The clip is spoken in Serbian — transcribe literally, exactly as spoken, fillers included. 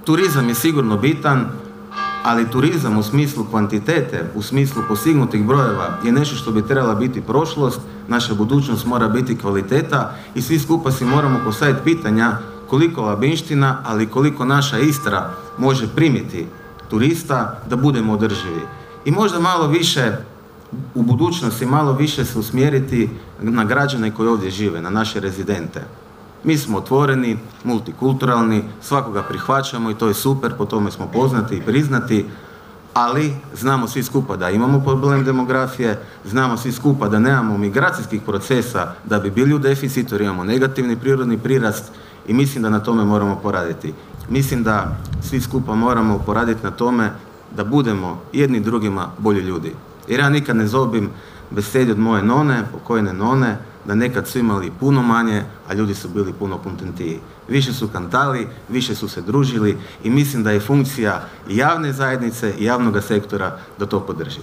turizam je sigurno bitan, ali turizam u smislu kvantitete, u smislu postignutih brojeva je nešto što bi trebala biti prošlost, naša budućnost mora biti kvaliteta i svi skupa si moramo postaviti pitanja koliko Labinština, ali koliko naša Istra može primiti turista da budemo održivi. I možda malo više u budućnosti, malo više se usmjeriti na građane koji ovdje žive, na naše rezidente. Mi smo otvoreni, multikulturalni, svakoga prihvaćamo i to je super, po tome smo poznati i priznati, ali znamo svi skupa da imamo problem demografije, znamo svi skupa da nemamo migracijskih procesa da bi bili u deficitu jer imamo negativni prirodni prirast i mislim da na tome moramo poraditi. Mislim da svi skupa moramo poraditi na tome da budemo jedni drugima bolji ljudi. Jer ja nikad ne zobim besedi od moje none, pokojne none, da nekad su imali puno manje, a ljudi su bili puno kontentiji. Više su kantali, više su se družili i mislim da je funkcija javne zajednice i javnog sektora da to podrži.